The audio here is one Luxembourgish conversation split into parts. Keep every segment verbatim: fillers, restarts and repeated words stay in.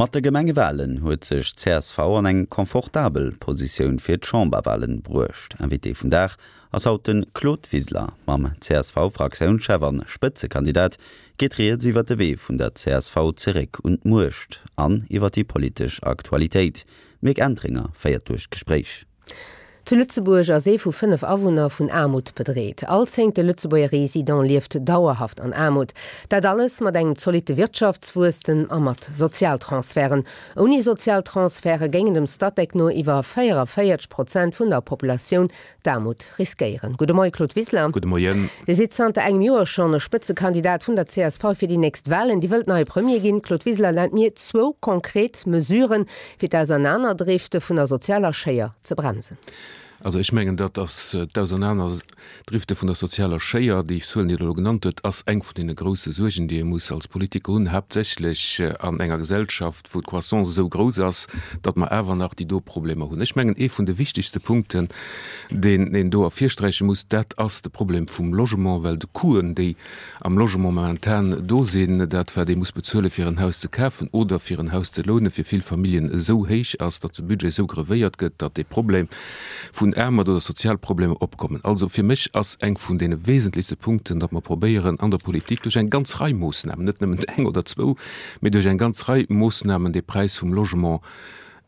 Mat de Gemengewalen huet sech d'CSV an eng confortabel Positioun fir d'Chamberwalen bruecht. Invité vum Dag ass haut de Claude Wiseler. Mam C S V-Fraktiounschef an Spëtzekandidat geet rieds iwwer de Wee vun der C S V zeréck un d'Muecht an iwwer déi politesch Aktualitéit. D'Mick Entringer féiert duerch d'Gespréich. Zu Lëtzebuerg ass ee vu fënnef Awunner vun Aarmut bedreet. All zéngte Lëtzebuerger Resident lieft dauerhaft an Aarmut. Dat alles mat engem zolitte Wirtschaftswuesstem a mat Sozialtransferten. Ouni Sozialtransferte géingen dem Statec no iwwer véieranvéierzeg Prozent vun der Populatioun d'Aarmut riskéieren. Gudde Moie Claude Wiseler. Gudde Moien. Dir sidd zanter engem Joer schonn e Spëtzekandidat vun der C S V fir déi nächst Walen. Dir wëllt neie Premier ginn. Claude Wiseler, nennt mir zwou konkret Mesuren, fir d'Ausernaanerdrifte vun der sozialer Schéier ze bremsen. Also ech mengen, dat ass d'Ausernaanerdrifte vun der sozialer Schéier, déi Zuelen, déi Der elo genannt hutt, ass eng vun deene grousse Suergen, déi ee muss als Politiker hunn, haaptsächlech an enger Gesellschaft, wou d'Croissance esou grouss ass, datt mer awer nach déi do Problemer hunn. Ech mengen, ee vun de wichtegste Punkten, deen een do ervirsträiche muss, dat ass de Problem vum Logement, well de Coûten, déi am Logement momentan do sinn, dat wat ee muss bezuele fir en Haus ze kafen oder fir en Haus ze lounen, fir vill Familljen esou héich ass, datt de Budget esou grevéiert gëtt, datt dee Problem vun Aarmut oder Sozialproblemer opkommen. Also fir mech ass eng vun deene wesentlechste Punkten, datt mer probéieren an der Politik duerch eng ganz Rei Moossnamen, net nëmmen eng oder zwou, mee duerch eng ganz Rei Moossnamen dee Präis vum Logement,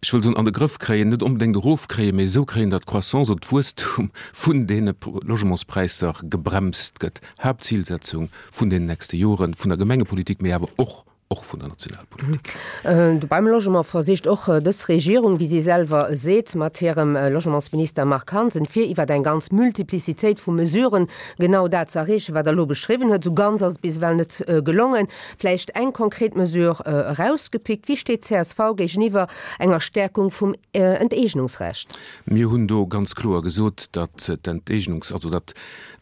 ech wëll soen, an de Grëff kréien, net onbedéngt erofkréien, mee esou kréien, datt d'Croissance oder d'Wuesstum vun deene Logementspräisser gebremst gëtt. Haaptzilsetzung vun den nächste Joren vun der Gemengepolitik, mee awer och och vun der Nationalpolitik. Mhm. Beim Logement versicht och dës Regierung, wéi si selwer seet, mat hirem Logementsminister Marc Hansen, fir iwwer eng ganz Multiplicitéit vu Mesuren genau dat ze erreechen, wat Der elo beschriwwen hutt. Sou ganz ass et bis ewell net gelongen. Vläicht eng konkret Mesure erausgepickt: Wéi steet d'C S V géigeniwwer enger Stärkung vum Enteegnungsrecht? Mir hunn do ganz kloer gesot, datt d'Enteegnungs-, also datt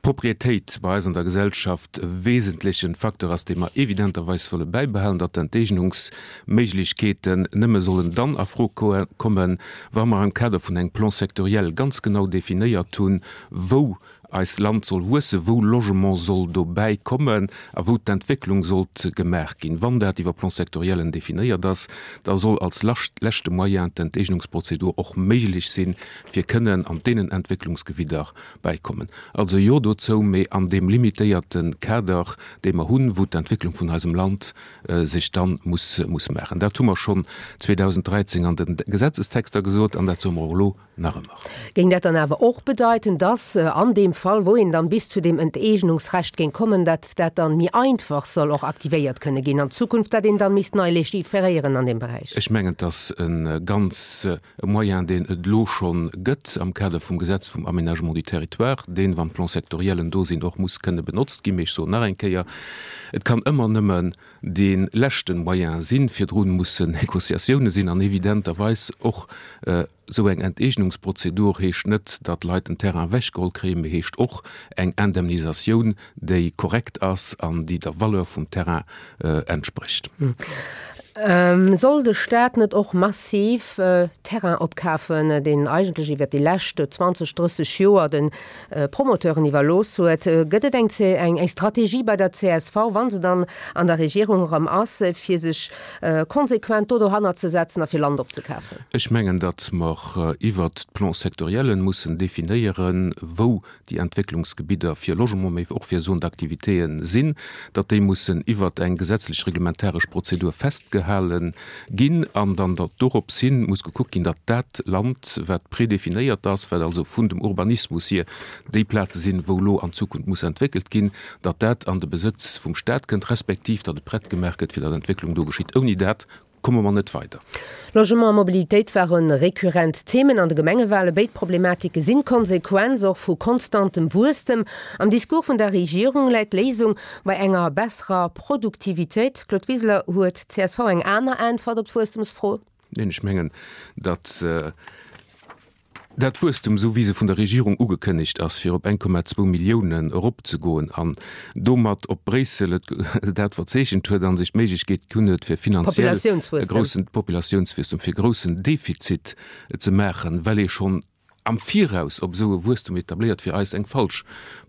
d'Proprietéit bei eis an der Gesellschaft e wesentleche Facteur ass, dee mer evidenterweis wëlle bäibehalen, datt d'Enteegnungsméiglechkeeten nëmme sollen dann a Fro kommen, wa mer am Kader vun engem Plan sectoriel ganz genau definéiert hunn, wou eist Land soll wuessen, wou Logement soll dobäi kommen a wou d'Entwécklung sollt gemaach ginn. Wann dat iwwer Plan-sectoriellen definéiert ass, da soll als leschte Moyen d'Enteegnungsprozedur och méiglech sinn, fir kënnen an deenen Entwécklungsgebidder bäikommen. Also jo dozou, mee an deem limitéierte Kader, dee mer hunn, wou d'Entwécklung vun eisem Land sech dann muss muss maachen. Dat hu mer schonn zweedausenddräizéng an de Gesetzestexter gesot an dat soe mer och elo nach ëmmer. Géing dat dann awer och bedeiten, dass an deem Fall, wou een dann bis zu deem Enteegnungsrecht géing kommen, dat dat dann méi einfach soll och aktivéiert kënne ginn an Zukunft, dat een dann misst nei legiferéieren an deem Beräich? Ech mengen, et ass e ganz e Moyen, deen et elo scho gëtt am Kader vum Gesetz vum Aménagement du territoire, deen, wann d'Plan-sectoriellen do sinn, och muss kënne benotzt ginn. Mee ech soen nach eng Kéier, Et kann ëmmer nëmmen dee leschte Moyen sinn. Virdrun mussen Négociatioune sinn an evidenterweis och esou eng Enteegnungsprozedur heescht net, datt Leit den Terrain ewechgeholl kréien, mee heescht och eng Indemnisatioun, déi korrekt ass an déi der Valeur vum Terrain entsprécht. Soll de Staat net och massiv Terrain opkafen, deen eigentlech iwwert déi lescht zwanzeg, drësseg Joer de Promoteuren iwwerlooss huet? Gëtt et eng eng Strategie bei der C S V, wa se dann an der Regierung erëm ass, fir sech konsequent do dohannert ze setzen a fir Land opzekafen? Ech mengen, datt mer iwwert d'Plan-sectoriellen mussen definéieren, wou déi Entwécklungsgebidder fir Logement, mee och fir Zones d'activitéen sinn, datt déi mussen iwwert eng gesetzlech reglementaresch Prozedur festgehale ginn an dann datt dorops hin muss gekuckt ginn, datt dat Land, wat prédéfinéiert ass, wat also vun dem Urbanismus hier déi Plaze sinn, wou elo an Zukunft muss entwéckelt ginn, datt dat an de Besëtz vum Stat kënnt, respektiv datt et prett gemaach gëtt, fir datt Entwécklung do geschitt. Ouni dat komme mer net weider. Logement a Mobilitéit ware rekurrent Themen an de Gemengewale. Béid Problematike sinn d'Konsequenz och vu konstantem Wuesstem. Am Discours vun der Regierung läit d'Léisung bei enger besserer Produktivitéit. Claude Wiseler, huet d'C S V eng aner Äntwert op d'Wuesstemsfro? Neen, ech mengen, datt dat Wuesstum, esou wéi se vun der Regierung ugekënnegt ass, fir op eng Komma zwou Milliounen eropzegoen an domat op Bréissel et dat verzeechent huet a sech d'Méiglechkeet ginn huet, fir finanziell e groussen Populatiounswuesstum, fir e groussen Defizit ze maachen, well ee schonn am Viraus op esou e Wuesstum etabléiert, fir eis eng falsch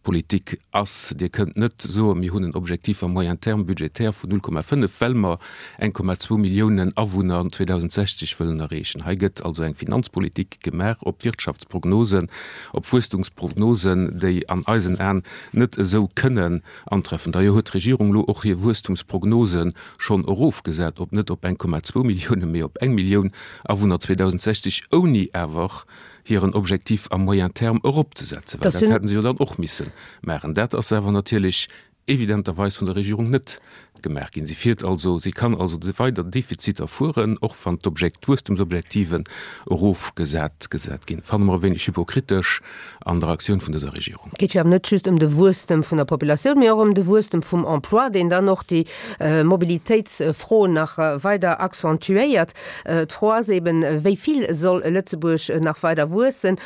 Politik ass. Dir kënnt net soen, mir hunn en Objectif à moyen terme budgétaire vun null Komma fënnef, well mer eng Komma zwou Milliounen Awunner zweedausendsechzeg wëllen erreechen. Hei gëtt also eng Finanzpolitik gemaach op Wirtschaftsprognosen, op Wuesstumsprognosen, déi an eisen Aen net esou kënnen antreffen. D'ailleurs huet d'Regierung elo och hir Wuesstumsprognose schonn erofgesat op net op eng Komma zwou Milliounen, mee op eng Millioun Awunner zweedausendsechzeg, ouni awer hiren Objectif à moyen terme eropzesetzen, well dat hätten se jo dann och misse maachen. Dat ass awer natierlech evidenterweis vun der Regierung net gemaach ginn. Si fiert also, si kann also weider Defiziter fueren, och wann d'Objekt, d'Wuesstumsobjektiven erofgesat gesat ginn. Fanne mer e wéineg hypokritesch an der Aktioun vun dëser Regierung. Et geet jo awer net just ëm de Wuesstem vun der Populatioun, mee och ëm de Wuesstem vum Emploi, deen dann och déi Mobilitéitsfro nach weider accentuéiert. D'Fro ass eben, Wéi vill soll Lëtzebuerg nach weider wuessen?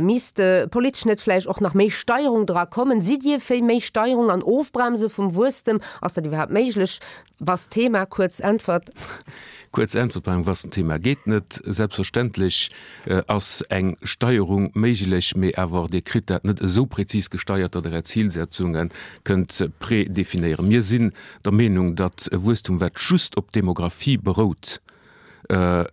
Misst politesch net vläicht och nach méi Steierung dra kommen? Sidd Dir fir méi Steierung an Ofbremse vum Wuesstem? Ass dat iwwerhaapt méiglech? Was Thema? Kuerz Äntwert. Kuerz Äntwert bei engem vasten Thema geet net. Selbstverständlech ass eng Steierung méiglech, mee awer Dir kritt dat net esou prezis gesteiert, datt Der Är Zilsetzunge kënnt predefinéieren. Mir sinn der Meenung, datt e Wuesstum, wat just op Demographie berout, e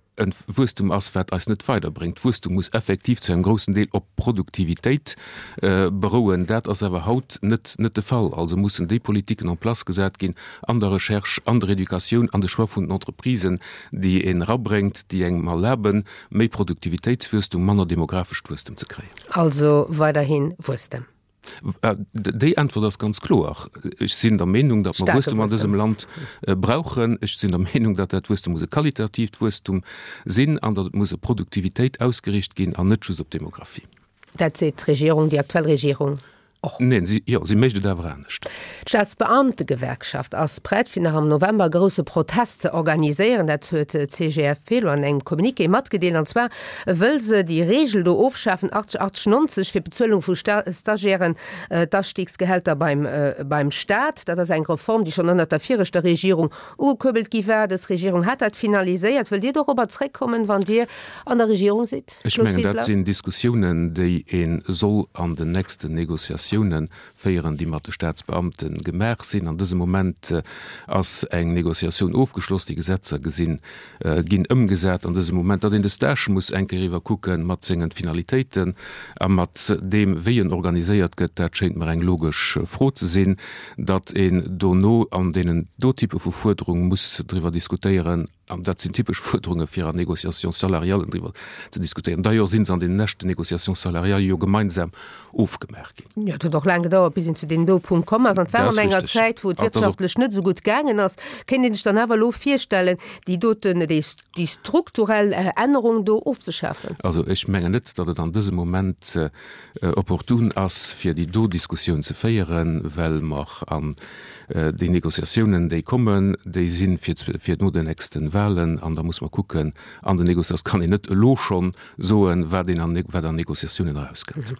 Wuesstum ass, wat eis net weiderbréngt. Wuesstum muss effektiv zu engem groussen Deel op Produktivitéit berouen. Dat ass awer haut net net de Fall. Also mussen déi Politiken en place gesat ginn an der Recherche, an der Educatioun, an de Choix vun den Entreprisen, déi een erabréngt, déi engem erlaben, méi Produktivitéitswuesstum, manner demografescht Wuesstum ze kréien. Also weiderhi Wuesstem. Déi Äntwert ass ganz kloer. Ech sinn der Meenung, datt mer Wuesstum an dësem Land brauchen. Ech sinn der Meenung, datt dat Wuesstum muss e qualitatiivt Wuesstum sinn an datt et muss op Produktivitéit ausgeriicht ginn an net just op Demographie. Dat seet d'Regierung, déi aktuell Regierung och. Neen, si, jo, si mécht et awer anescht. D'Staatsbeamtegewerkschaft ass prett, fir nach am November e grousse Protest ze organiséieren. Dat huet d'C G F P elo an engem Communiqué matgedeelt. An zwar wëll se déi Reegel do ofschafen, achtzeg, achtzeg, nonzeg, fir d'Bezuelung vu Stagiairen, d'Astigsgehälter beim beim Staat. Dat ass eng Reform, déi schonn ënnert der viregter Regierung ugekuerbelt gi war. Dës Regierung hat dat finaliséiert. Wëllt Dir dorobber zréckkommen, wann Dir an der Regierung sidd, Ech Claude mengen, dat Wiseler? sinn Diskussiounen, déi ee soll an den nächsten Négociatiounen féieren, déi mat de Staatsbeamte gemaach sinn. An dësem Moment ass eng Négociatioun ofgeschloss, déi Gesetzer gesinn, ginn ëmgesat an dësem Moment. Datt een de Stage muss eng Kéier iwwerkucke mat sengen Finalitéiten a mat deem, wéi en organiséiert gëtt, dat schéint mer eng logesch Fro ze sinn. Datt een dono an deenen do Type vu Fuerderung muss driwwer diskutéieren, an dat sinn typesch Fuerderunge fir an Négociations salariales driwwer ze diskutéieren. D'ailleurs si se an deenen leschten Négociations salariales jo gemeinsam ofgemaach ginn. Jo, et huet och laang gedauert, bis een zu deem do Punkt komm ass. An et war Dat an ass enger richteg. Zäit, wou et An et ass och. wirtschaftlech net esou gutt gaangen ass. Kéint een sech dann awer elo virstellen, déi doten, déi, déi strukturell Ännerung do ofzeschafen? Also ech mengen net, datt et an dësem Moment opportun ass, fir déi do Diskussioun ze féieren, well mer an déi Négociatiounen, déi kommen, déi si fir, fir no den nächste Wahlen an da muss mer kucken an den Négociatiounen, kann een net elo schonn soen, wat een an, wat an Négociatiounen erauskënnt.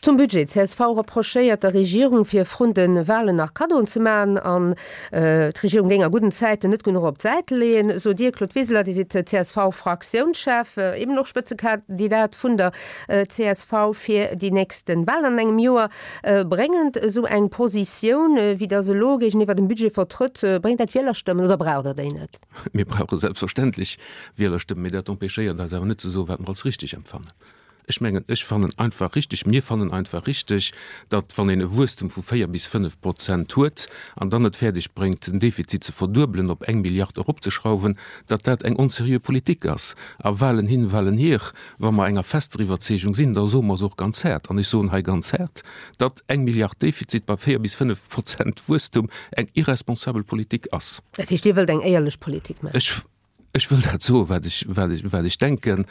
Zum Budget, csv reprochéiert der Regierung, fir vrun de Wahlen nach Kaddoen ze maachen an d'Regierung géing a gudden Zäiten net genuch op d'Säit leeën, sot Dir, Claude Wiseler. Dir sidd C S V-Fraktiounschef, eben och Spëtzekandidat vun der C S V fir déi nächste Wahlen an engem Joer. Bréngend esou eng Positioun, wéi Der se elo géigeniwwer dem Budget vertrëtt, bréngt dat Wielerstëmmen oder braucht Der déi net? Mir brauche selbstverständlech Wielerstëmmen, mee dat empêchéiert eis awer net ze soen, wat mer als richtig empfannen. Ech mengen, ech fannen einfach richtig, mir fannen einfach richtig, datt, wann een e Wuesstum vu véier bis fënnef Prozent huet an dann et fäerdeg bréngt, den Defizit ze verduebelen, op eng Milliard eropzeschrauwen, datt dat eng onseriö Politik ass. A Wahlen hin, Wahlen hier, wa mer enger fester Iwwerzeegung sinn, da soe mer se och ganz haart, an ech soen hei ganz haart, datt eng Milliard Defizit bei véier bis fënnef Prozent Wuesstum eng irresponsabel Politik ass. Dat heescht, Dir wëllt eng éierlech Politik maachen? Ech. Ech wëll dat soen, wat ech, wat ech, wat ech denken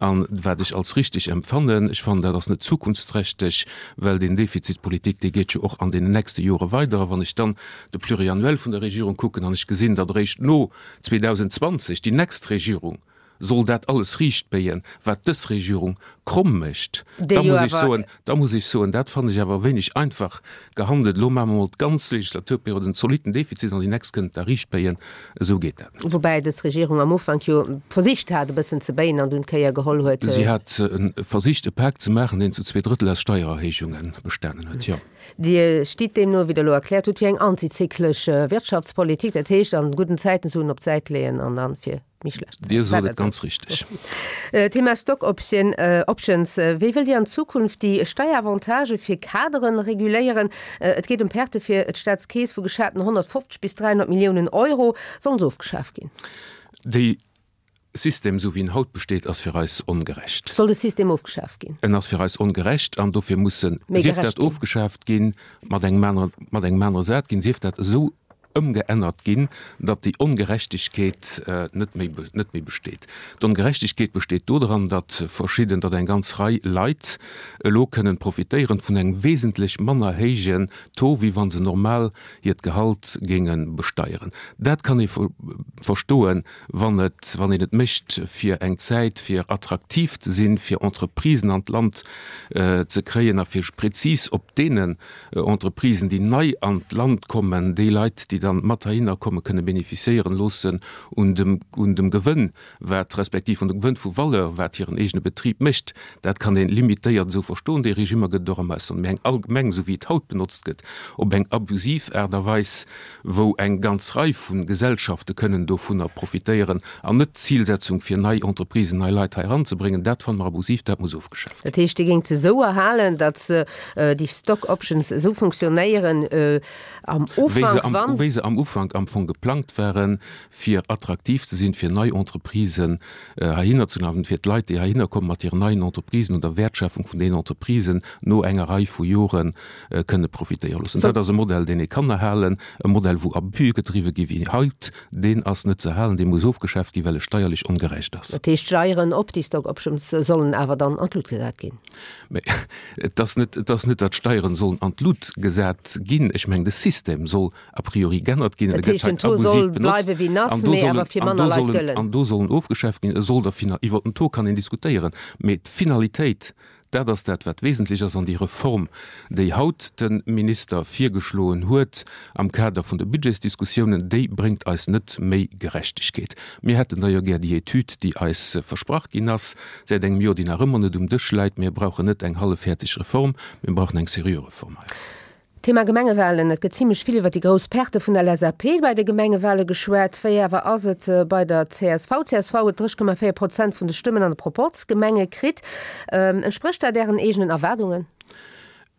an wat ech als richtig empfannen. Ech fannen, dat ass net zukunftsträchteg, well deen Defizitpolitik, dee geet jo och an deenen nächste Jore weider. A wann ech dann de Pluriannuel vun der Regierung kucken an ech gesinn, datt eréischt no zweedausendzwanzeg déi nächst Regierung soll dat alles riichtbéien, wat dës Regierung kromm mécht, da muss ech soen, da muss ech soen, dat fannen ech awer e wéineg einfach gehandelt. Elo maache mer emol d'ganz Legislaturperiod en zolitten Defizit an déi nächst kënnt da riichtbéien. Esou geet dat net. Woubäi dës Regierung am Ufank jo versicht hat, e bëssen ze béien an dunn d'Kéier geholl huet. Si hat versicht, e Pak ze maachen, deen zu zwee Drëttel aus Steiererhéijunge bestanen huet, jo. Dir stitt deemno, wéi Der elo erkläert hutt, fir eng antizyklesch Wirtschaftspolitik, dat heescht an gudden Zäiten Suen op d'Säit leeën an dann fir méi schlecht Zäiten. Dir sot et ganz richteg. Thema Stock Options, Wéi wëllt Dir an Zukunft déi Steieravantage fir Kaderen reguléieren? Et geet ëm Perte fir d'Staatskeess vu geschaten honnertfofzeg bis dräihonnert Milliounen Euro. Sollen se ofgeschaaft ginn? Déi System, esou wéi en haut besteet, ass fir eis ongerecht. Soll de System ofgeschaaft ginn? En ass fir eis ongerecht an dofir muss en, sief dat ofgeschaaft ginn, mat engem anere, mat engem anere sat ginn, sief dat esou ëmgeännert ginn, datt déi Ongerechtegkeet net méi, net méi besteet. D'Ongerechtegkeet besteet dodran, datt verschidden, datt eng ganz Rei Leit elo kënnen profitéieren vun engem wesentlech manner héijen Taux, wéi wa se normal hiert Gehalt géinge besteieren. Dat kann ee verstoen, wann et, wann een et mécht fir eng Zäit, fir attraktiv ze sinn, fir Entreprisen an d'Land ze kréien a fir prezis op deenen Entreprisen, déi nei an d'Land kommen, déi Leit, déi dann mat heihinner kommen, kënne bénéficiéieren loossen un dem, un dem Gewënn, wat, respektiv un dem Gewënn vu Valeur, wat hiren eegene Betrib mécht. Dat kann ee limitéiert esou verstoen. Déi Regimmer gëtt et och am Ausland. Mä eng allgemeng, esou wéi et haut benotzt gëtt, op eng abusiv Aart a Weis, wou eng ganz Rei vu Gesellschafte kënnen dovunner profitéieren, an net d'Zilsetzung fir nei Entreprisen, nei Leit hei eranzebréngen, dat fanne mer abusiv, dat muss ofgeschaaft ginn. Dat heescht, Dir géingt se esou erhalen, datt se, déi Stock Options, esou funktionéieren am Ufank, wann. Wéi se am Ufank am Fong geplangt waren, fir attraktiv ze sinn, fir nei Entreprisen heihinner ze lafen, fir d'Leit, déi heihinner kommen mat hiren neien Entreprisen, un der Wäertschöpfung vun deenen Entreprisen no enger Rei vu Jore kënne profitéiere loossen. Dat ass e Modell, deen ee kann erhalen. E Modell, wou Abuse gedriwwe gi wéi haut, deen ass net ze erhalen, dee muss ofgeschaaft ginn, well e steierlech ongerecht ass. Dat heescht, d'Steieren op déi Stock Options sollen awer dann an d'Lut gesat ginn? Mä et ass net, et ass net, datt d'Steieren sollen an d'Lut gesat ginn. Ech mengen, de System soll a priori g'ännert ginn. Dat heescht, den Taux soll bleiwe wéi en ass, mee awer fir manner Leit gëllen. An do sollen ofgeschaaft ginn. E soll der Final, iwwer den Taux kann een diskutéieren, mee d'Finalitéit, dat ass dat, wat wesentlech ass. An déi Reform, déi haut de Minister virgeschloen huet am Kader vun de Budgetsdiskussiounen, déi bréngt eis net méi Gerechtegkeet. Mir hätten da jo gär déi Etüd, déi eis versprach ginn ass säit engem Joer, déi nach ëmmer net um Dësch läit. Mir brauchen net eng hallefhäerzeg Reform, mir brauchen eng seriö Reform hei. Thema Gemengewalen, Et gëtt zimlech vill iwwer déi grouss Perte vun der LSAP bei de Gemengewale geschwat. Wéi awer ass et bei der csv? Csv huet dräi Komma véier Prozent vun de Stëmmen an de Proporzgemenge kritt. Entsprécht dat Ären eegenen Erwaardungen?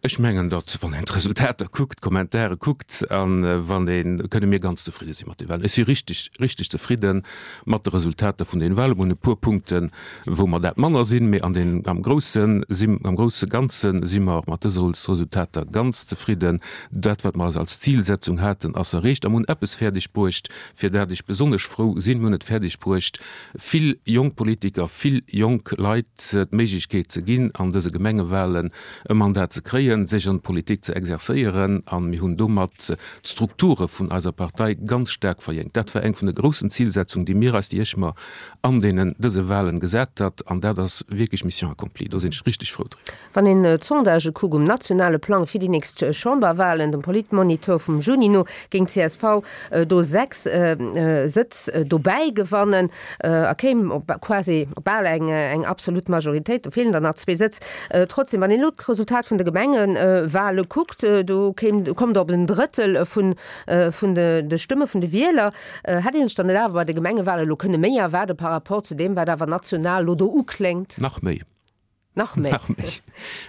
Ech mengen, datt, wann een d'Resultater kuckt, d'Kommentare kuckt a wann een, kënne mir ganz zefridde si mat de Walen. Ech si richteg, richteg zefridde mat de Resultater vun den Walen. Mir hunn e puer Punkten, wou mer dat manner sinn, mee an den, am Grousse si, am grousse Ganze si mer mat dëse Resultater ganz zefridden. Dat, wat mer eis als Zilsetzung haten, ass erreecht a mer hunn eppes fäerdeg bruecht, fir dat ech besonnesch frou sinn. Mir hunn et fäerdeg bruecht, vill jonk Politiker, vill jonk Leit d'Méiglechkeet ze ginn, an dëse Gemengewahlen e Mandat ze kréien, sech an d'Politik ze exerzéieren a mir hunn domat d'Strukture vun eiser Partei ganz staark verjéngt. Dat war eng vun de groussen Zilsetzungen, déi mir eis, déi ech mer an deenen dëse Wahlen gesat hat, an dat ass wierklech Mission accomplie. Do sinn ech richteg frou driwwer. Wann een d'Sondagë kuckt um nationale Plang fir déi nächst Chamberwahlen, dem Politmonitor vum Juni no, géing csv do sechs Sëtz dobäi gewannen a kéim op quasi op bal eng eng absolut Majoritéit. Do feelen der nach zwee Sëtz. Trotzdem, wann een elo d'Resultat vun de Gemengewahle kuckt, do kéim kommt Der op en Drëttel vun vun de Stëmme vun de Wieler. Hätt een sech dann net awer bei de Gemengewahlen elo kënne méi erwaarde par rapport zu deem, wat awer national elo do ukléngt? Nach méi. Nach méi? Nach méi.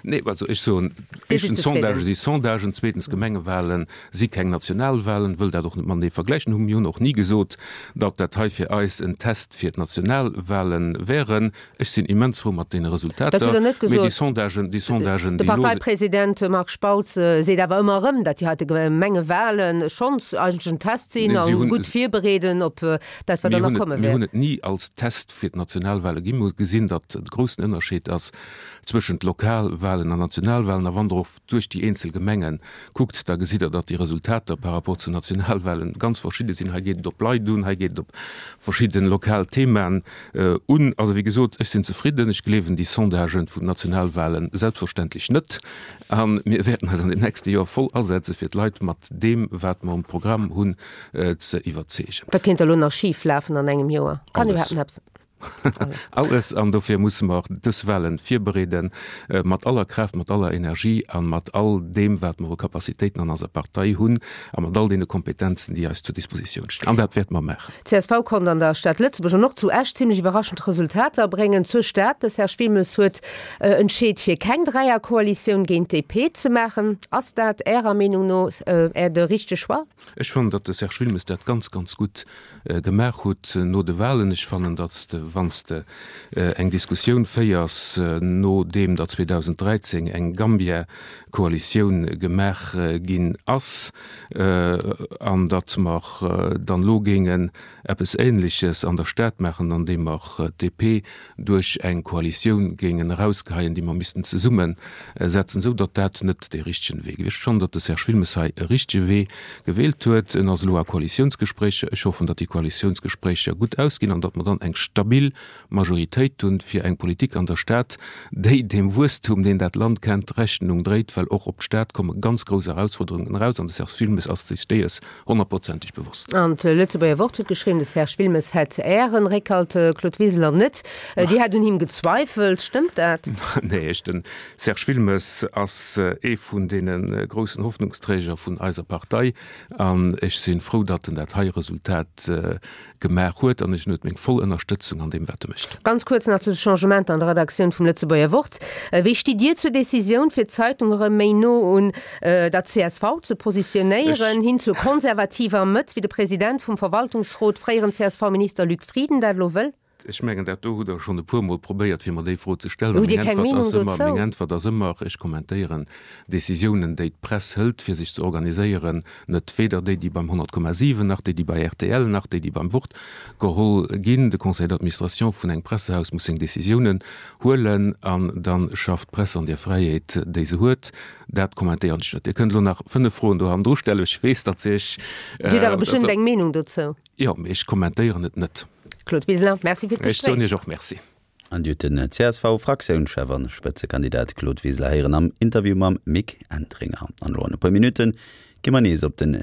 Nee, also ech soen, Dir sidd éischtens, zefridden. Sondagë si Sondagen, zweetens, Gemengewahlen si keng Nationalwahlen, wëll dat och net matenee vergläichen. Hu mir hunn och ni gesot, datt dat hei fir eis en Test fir d'Nationalwahlen wären. Ech sinn immens frou mat deene Dat hutt Resultater, Der net mee déi gesot. Sondagen, déi Sondagen, De déi elo. Parteipresident Marc Spautz seet awer ëmmer erëm, datt déi heite Gemengewahlen schonns eigentlech en Test sinn Nee, a si hunn, gutt virbereeden op dat, wat mir dann nach hunn et, komme mir wäert. hunn et ni als Test fir d'Nationalwahle ginn. Mir hu gesinn, datt de groussen Ënnerscheed ass, zwëschent Lokalwahlen an Nationalwahlen. A wann Der och duerch déi eenzel Gemenge kuckt, da gesitt Der, datt déi Resultater par rapport zu Nationalwahlen ganz verschidde sinn. Hei geet et op Leit un, hei geet et op verschidde lokal Themaen un. Also, wéi gesot, ech sinn zefridden. Ech gleewen déi Sondagen vun den Nationalwahlen selbstverständlech net. A mir wäerten eis an den nächste Joer voll asetze fir d'Leit mat deem, wat mer um Programm hunn, ze iwwerzeegen. Wat kéint da lo nach schif lafen an engem Joer? Kann iwwerhaapt nach eppes? Alles. Alles. An dofir musse mer dës Wahlen virbereeden, mat aller Kraaft, mat aller Energie a mat all deem, wat mer u Capacitéiten an eiser Partei hunn a mat all deene Kompetenzen, déi eis zur Dispositioun stinn. An dat wäerte mer maachen. D'CSV konnt an der Stad Lëtzebuerg an och zu Esch zimlech iwwerraschend Resultater bréngen. Zur Stad, de Serge Wilmes huet entscheet fir keng Dräierkoalitioun géint d'DP ze maachen. Ass dat Ärer Meenung no de richtege Choix? Ech fannen, datt de Serge Wilmes dat ganz, ganz gutt gemaach hutt no de Wahlen. Ech fannen, datt s de, wann s de eng Diskussioun féiers, nodeem datt zweedausenddräizéng eng Gambia-Koalitioun gemaach ginn ass, an datt mer dann elo géingen eppes Ähnleches an der Stad maachen, andeem mer d'DP duerch eng Koalitioun géingen erausgeheien, déi mer missten zesummesetzen, esou datt dat net dee richtegen Wee gewiescht. Ech fannen, datt de Serge Wilmes hei e richtege Wee gewielt huet. En ass elo a Koalitiounsgespréicher. Ech hoffen, datt déi Koalitiounsgespréicher gutt ausginn an datt mer dann eng stabil Majoritéit hunn fir eng Politik an der Stad, déi deem Wuesstum, deen dat Land kennt, Rechnung dréit, well och op d'Stad komme ganz grouss Erausfuerderungen eraus an de Serge Wilmes ass sech deeës honnertprozenteg bewosst. An d'Lëtzebuerger Wort huet geschriwwen, de Serge Wilmes hätt Ären Réckhalt, Claude Wiseler, net. Dir hätt un him gezweifelt. Stëmmt dat? Nee, ech, de Serge Wilmes ass ee vun deene groussen Hoffnungsträger vun eiser Partei an ech si frou, datt en dat hei Resultat gemaach huet an ech en huet meng voll Ënnerstëtzung an deem wat e mécht. Ganz kuerz nach zu de Changementer an der Redaktioun vum Lëtzebuerger Wort. Wéi stitt Dir zur Decisioun, fir d'Zeitung erëm méi no un der csv ze positionéieren, hin zur konservativer Mëtt, wéi de President vum Verwaltungsrot, fréieren C S V-Minister Luc Frieden dat elo wëll? Ech mengen, dat do hutt Der schonn e puermol probéiert, fir mer déi Fro ze stellen. Hutt Dir keng Meenung dozou? Meng Äntwert ass ëmmer, Ech kommentéieren Decisiounen, déi d'Press hëlt, fir sech ze organiséieren, net, weder déi, déi beim honnert Komma siwen nach déi, déi bei R T L nach déi, déi beim Wort geholl ginn. De Conseil d'administration vun engem Pressehaus muss seng Decisiounen huelen an da schafft d'Press an där Fräiheet, déi se huet. Dat kommentéieren ech net. Dir kënnt elo nach fënnef Froen do hannendru stellen. Ech weess, datt se Iech. Dir hutt awer bestëmmt eng Meenung dozou? Jo, mee ech kommentéieren et net. Claude Wiseler, Merci fir Ech soen d'Gespréich. Iech och Merci. An Dir hutt den C S V-Fraktiounschef an Spëtzekandidat Claude Wiseler héieren am Interview mam Mick Entringer. An elo an e puer Minutte gi mer nees op den.